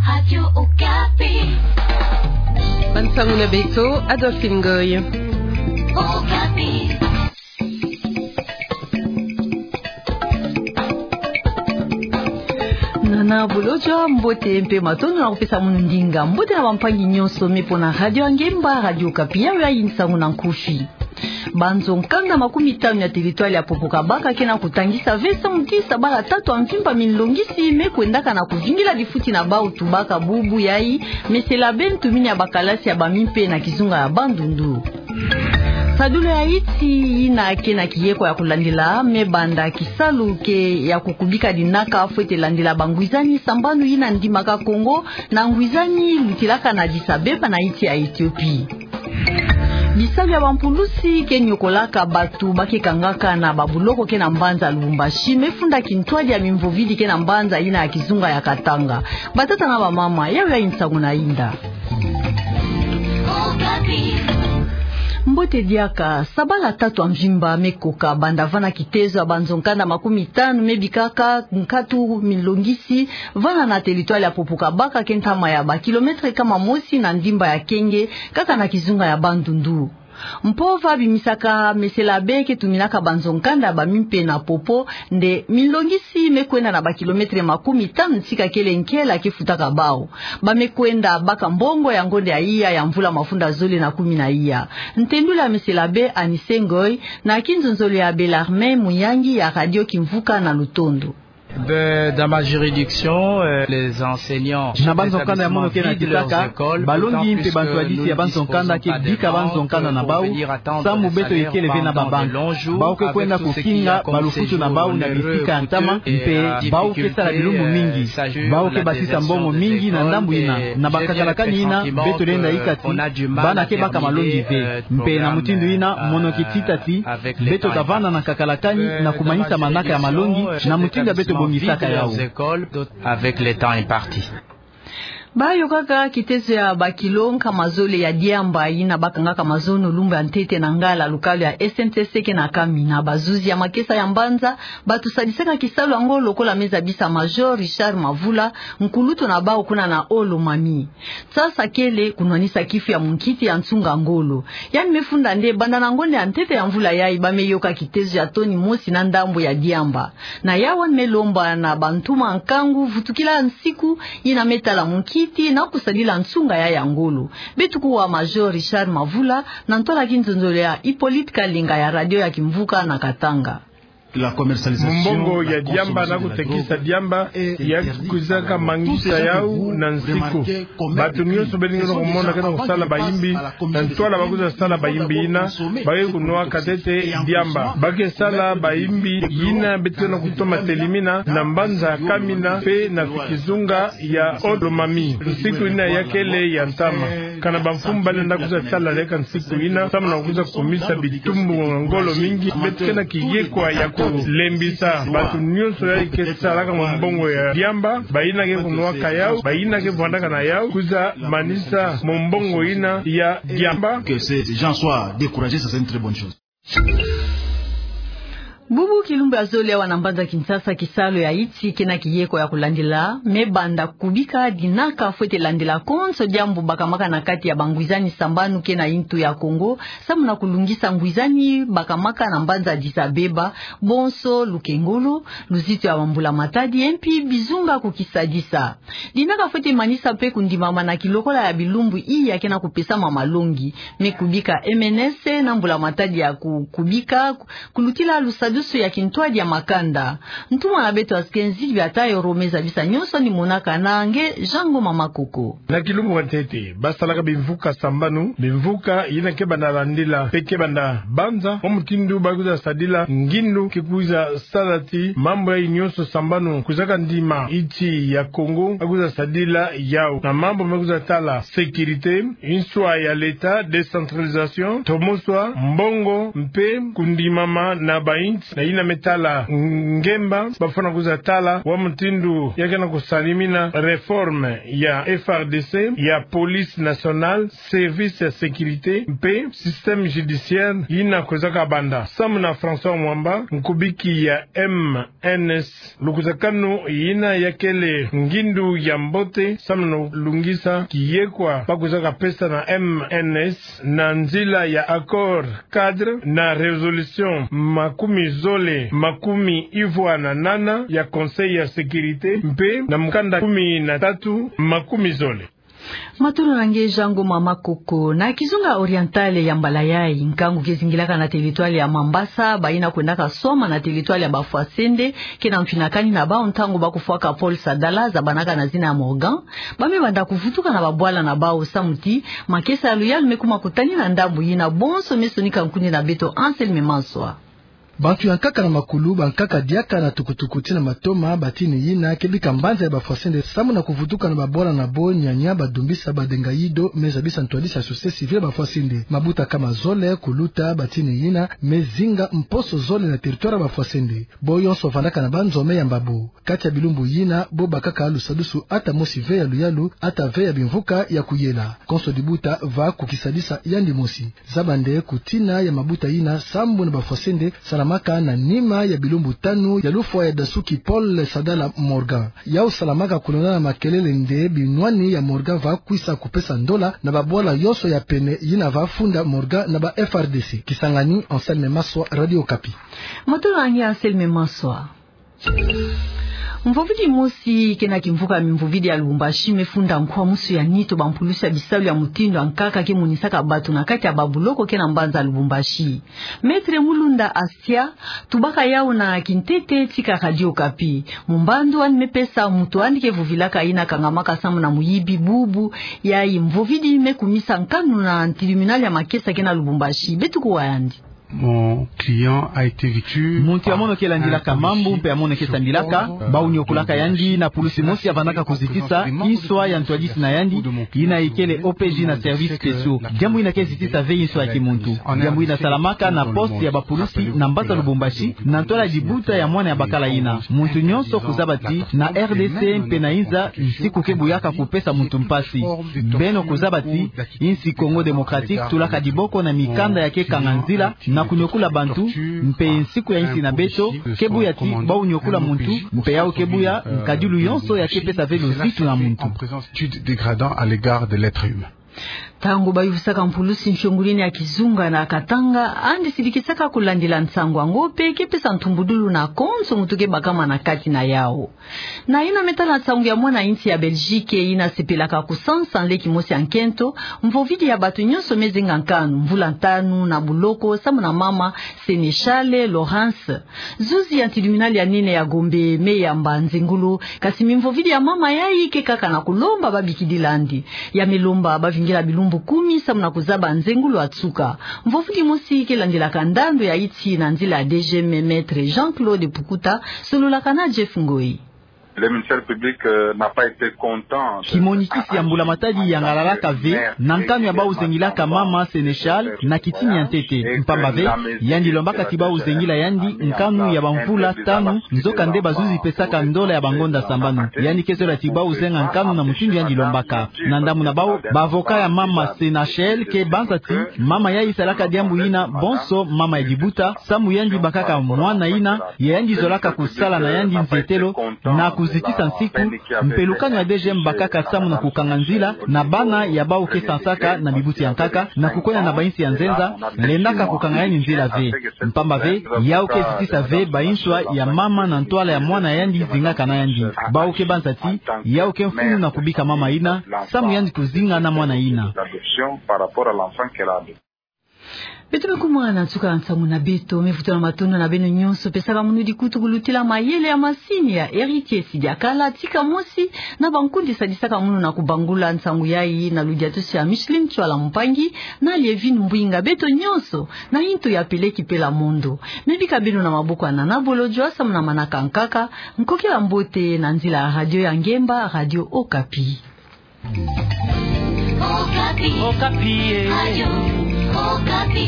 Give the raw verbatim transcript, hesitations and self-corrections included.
Radio Okapi. Bansangu na beto, Adolphine Ngoy. Okapi. Nana Bolodjwa, mbote mpe matondo na kupesa munu ndinga. Mbote na bampangi nyonso me mpo na Radio Angemba, Radio Okapi, yayi nsangu na nkufi. Banzo nkanda makumi tanu ya territoire ya Popo-Kabaka ke na kutangisa ve samu ti sabala tatu ya mvimba minlongisi me kwendaka na kuvingila bifuti na bau, tubaka bubu yayi Mesela Be, ntumini ya bakalasi ya bamimpe na kizunga ya Bandundu. Sadulu ya iti yina ke na kiyeko ya kulandila me banda kisalu ke ya kukubika dinaka fwete landila bangwizani sambanu yina ndimaka Congo na ngwizani lutilaka na Addis-Abeba na iti ya Ethiopie. Bisalu ya bampulusi ke nyokolaka batu ba ke kangaka na babuloko ke na mbanza Lubumbashi me funda kintwadi ya mimvovidi ke na mbanza yina ya kizunga ya Katanga. Batata na bamama, yayi nsangu na inda. Mbote diaka. Sabala tatu ya mvimba me koka banda vana kitezo ya banzo nkanda makumi tanu me bikaka nkatu minlongisi vana na territoire ya Popo-Kabaka, ke ntama ya bakilometre kama mosi na ndimba ya Kenge, kaka na kizunga ya Bandundu. Mpova bimisaka Mesela Be ke tuminaka banzo nkanda ya bamimpe na Popo, nde minlongisi me kwenda na bakilometre makumi tanu tika kele nkela ke futaka bau. Ba me kwenda baka mbongo ya ngonde ya iya ya mvula mafunda zole na kumi na iya. Ntendula Mesela Be Anise Ngoy na kinzonzolo ya Bellarmine Muyangi ya Radio Kimvuka na Lutondo. Ben, dans ma juridiction, euh, les enseignants, na banzo nkanda ya mono ke na kisaka, balongi mpe bantwadisi ya banzo nkanda ke bika banzo nkanda na bau, samu beto ikele ve na babanki. Bau ke kwenda kukinga balufutu na bau na bisika ya ntama, mpe bau ke sala bilumbu mingi. Bau ke basisa mbongo mingi na ndambu yina, na bakakalakani yina beto lenda ika ti bana ke baka malongi ve. Mpe na mutindu yina, mono ke tita ti beto ta vanda na kakalakani na kumanisa manaka ya malongi na mutindu ya beto bongisaka yau. Avec le temps imparti. Ba yokaka kitezo ya bakilo nkama zole ya diamba yina ba kangaka mazono lumbu ya ntete na ngala lukalo ya S N C C ke na Kamina. Bazuzi ya makesa ya mbanza batu sadisaka kisalu yango, lokola me zabisa Major Richard Mavula, nkulutu na bau kuna na Haut-Lomami. Nsasa kele kunwanisa kifu ya munkiti ya nsunga ngolo. Yandi me funda nde banda na ngonde ya ntete ya mvula yayi ba me yoka kitezo ya toni mosi na ndambu ya diamba. Na yawu me lomba na bantuma nkangu vutukila nsiku yina me tala munkiti na kusadila nsunga yayi ya ngolo. Beto kuwa Major Richard Mavula na ntwala kinzonzolo ya Hippolyte Kalenga ya Radio ya Kimvuka na Katanga. Mumbongo ya diamba na kutekisa diamba ya kwizaka mangisa yau na nsiku. Batu nyonso beno lenda kumona ke na kusala bayimbi, na ntwala ba kwiza sala bayimbi yina, ba ke kunwaka ntete diamba. Ba ke sala bayimbi yina beto ke na kutoma telimina na mbanza Kamina mpe na kizunga ya Haut-Lomami. Nsiku yina ya kele ya ntama. Kana bamfumu ba lenda kwiza sala leka nsiku yina, samu na kwiza kumisa bitumbu ngolo mingi, beto ke na kiyekwa ya kulembisa batu nyonso yayi ke salaka mumbongo ya diamba, bayina ke kunwaka yau, bayina ke vwandaka na yau, kwiza manisa mumbongo yina ya diamba. Que ces gens soient découragés, ça, c'est une très bonne chose. Bubu kilumbu ya zole awa na mbanza Kinshasa, kisalu ya iti ke na kiyeko ya kulandila, me banda kubika dinaka fwete landila konso diambu bakamaka na kati ya bangwizani sambanu ke na ntu ya Kongo, samu na kulungisa ngwizani bakamaka na mbanza Addis-Abeba, bonso lukengolo, luzitu ya bambula-matadi, mpi bizunga kukisadisa. Dinaka fwete manisa mpe kundimama na kilokola ya bilumbu iya ke na kupesama malongi, me kubika M N S na mbula-matadi ya ku-, kubika, ku-, kulutila lusadusu ya kintwadi ya makanda. Ntuma na beto Askenzi Biatayo Rome zabisa nyonso ni monaka na nge Jean Ngoma Makoko. Na kilumbu ya ntete, ba salaka bimvuka sambanu, bimvuka yina ke banda landila, mpe ke banda banza, mwa mutindu ba kwiza sadila ngindu, ke kwiza sala ti mambu yayi nyonso sambanu kwizaka ndima nsi ya Kongo, ba kwiza sadila yau. Na mambu me kwiza tala sécurité, nswa ya l'État, décentralisation, tomo swa, mbongo, mpe kundimama na bainsi, na yina me tala ngemba, bafwana kwiza tala wa mutindu ya ke na kusalimina réforme ya F R D C, ya police nationale, service ya sécurité, mpe système judiciaire yina kwizaka banda. Samu na François Mwamba, nkubiki ya M N S, lukutakanu yina ya kele ngindu ya mbote, samu na lungisa kiyekwa bakwizaka pesa na M N S na nzila ya accord cadre na résolution makumi zole makumi ivwa na nana ya Conseil ya sécurité, mpe na mukanda kumi na tatu makumi zole. Matondo na nge Jean Ngoma Makoko. Na kizunga oriental ya mbala yayi, nkangu ke zingilaka na territoire ya Mambasa bayina kwendaka swama na territoire ya Bafwasende ke na mfinakani na bawu ntangu bakufwaka pole Sadala zabanaka na zina ya Morgan, ba me banda kuvutuka na babwala na bawu samu ti makesa ya luyalu me kuma kutani na ndambu yina. Bonso me sonika nkundi na beto Anselme Manswa. Bantu ya nkaka na makulu, bankaka diaka na tukutuku tii na matoma, batini yina ke bika mbanza ya Bafwasende samu na kuvutuka na babwala na bo. Nyanya badumbisa badenga yido me zabisa ntwadisi ya société civile ya Bafwasende. Mabuta kama zole kuluta, batini yina me zinga mposo zole na territoire ya Bafwasende. Bo yonso vandaka na banzo me yamba bo. Kati ya bilumbu yina, bo bakaka lusadusu ata mosi ve ya luyalu, ata ve ya bimvuka ya kuyela. Konso dibuta va ku kisadisa yandi mosi. Zaba nde ku tina ya mabuta yina, sambu na Bafwasende salamaka na nima ya bilumbu tanu ya lufwa ya dasuki pole Sadala Morgan. Yawu salamaka kulonda na makelele nde binwani ya Morgan va kwisa kupesa ndola na babwala yonso ya pene yina va funda Morgan na ba F R D C. Kisangani, Anselme Manswa, Radio Okapi. Matondo na nge Anselme Manswa. Mvovidi mosi ke na kimvuka ya mimvovidi ya Lubumbashi me funda nkwa musu ya nitu bampulusi ya bisalu ya mutindu ya nkaka ke monisaka batu na kati ya babuloko ke na mbanza Lubumbashi. Maître Mulunda Astia, tubaka yawu na kintete tika Radio Okapi. Mumbandu yandi me pesa, mutu yandi ke vovilaka yina kangamaka samu na muyibi bubu, yayi mvovidi me kumisa nkanu na tribunal ya makesa ke na Lubumbashi. Beto kuwa yandi. Mon client a été victime. Muntu ya mono ke landilaka mambu mpe ya mono ke sambilaka, bawu niokolaka yandi na pulusi mosi ya vandaka kuzitisa inswa ya ntwadisi na yandi, yina ikele O P J na services spéciaux. Diambu yina ke zitisa ve inswa ya kimuntu. Diambu yina salamaka na poste ya bapulusi na mbanza Lubumbashi, na ntwala dibuta ya mwana ya bakala yina. Muntu nyonso kuzaba ti na R D C mpe na inza nsiku ke buyaka kupesa muntu mpasi. Beno kuzaba ti insi Congo Démocratique tulaka diboko na mikanda ya ke kanga nzila na kuniokola bantu, mpe nsiku ya insi na beto ke buya ti bawu niokola muntu, mpe yawu ke buya nkadilu yonso ya ke pesa ve luzitu na muntu. Attitude dégradant à l'égard de l'être humain. Ntangu bayuvisaka mpulusi mfiongulini ya kizunga na Katanga, yandi sidikisaka kulandila nsangu yango mpe ke pesa ntumbudulu na konso muntu ke bakama na kati na yawu. Na yina me tala nsangu ya mwana insi ya Belgique yina sepelaka kusansa nleki mosi ya nkento, mvovidi ya batu nyonso me zenga nkanu, mvula ntanu na buloko samu na mama Sénéchale Laurence. Zuzi ya tribunal ya nene ya Gombe me yamba nzengolo, kasi mimvovidi ya mama yayi ke kaka na kulomba babikidila yandi. Ya me lomba bavingila bilumbu kumi samu na kuzaba nzengolo ya nsuka. Mvovidi mosi ke landilaka ndandu ya insi na nzila ya D G M, Maître Jean-Claude Pukuta, sololaka na Jeff Ngoi. Le ministère public, euh, n'a pas été content de... Kimonikisi ya mbula-matadi yangalalaka ve na nkanu ya bawu zengilaka mama Sénéchale na kitini ya ntete. Mpamba ve, yandi lombaka ti bawu zengila yandi nkanu ya bamvula tanu, nzoka nde bazuzi pesaka ndola ya bangonda sambanu. Yandi ke zola ti bawu zenga nkanu na mutindu yandi lombaka. Na ndambu na bawu, ba avocat ya mama Sénéchale ke banza ti mama yayi salaka diambu yina bonso mama ya dibuta, samu yandi bakaka mwana yina, ya yandi zolaka kusala na yandi nzietelo na kuzitisa nsiku, mpe lukanu ya D G M bakaka samu na kukanga nzila na bana ya bawu ke sansaka na bibuti ya nkaka, na kukwenda na bainsi ya nzenza, lendaka kukanga yandi nzila ve. Mpamba ve, yawu ke zitisa ve bainswa ya mama na ntwala ya mwana yandi zingaka na yandi. Bawu ke banza ti yawu ke mfunu na kubika mama yina, samu yandi kuzinga na mwana yina. Beto me kuma na nsuka ya nsangu na beto, me vutula matondo na beno nyonso pesaka munu dikutu kulutila mayele ya masini ya Héritier Sidiakala, tika mosi na bankundi sadisaka munu na kubangula nsangu yayi, na ludiatusi ya Micheline Tswala Mpangi na Lievine Mbwinga. Beto nyonso na intu ya peleki pela mondo, me bika beno na maboko ya Nana Bolodjwa samu na manaka nkaka. Nkokila mbote na nzila ya radio ya ngemba, Radio Okapi. Okapi. Okapi, eh. Radio Okapi.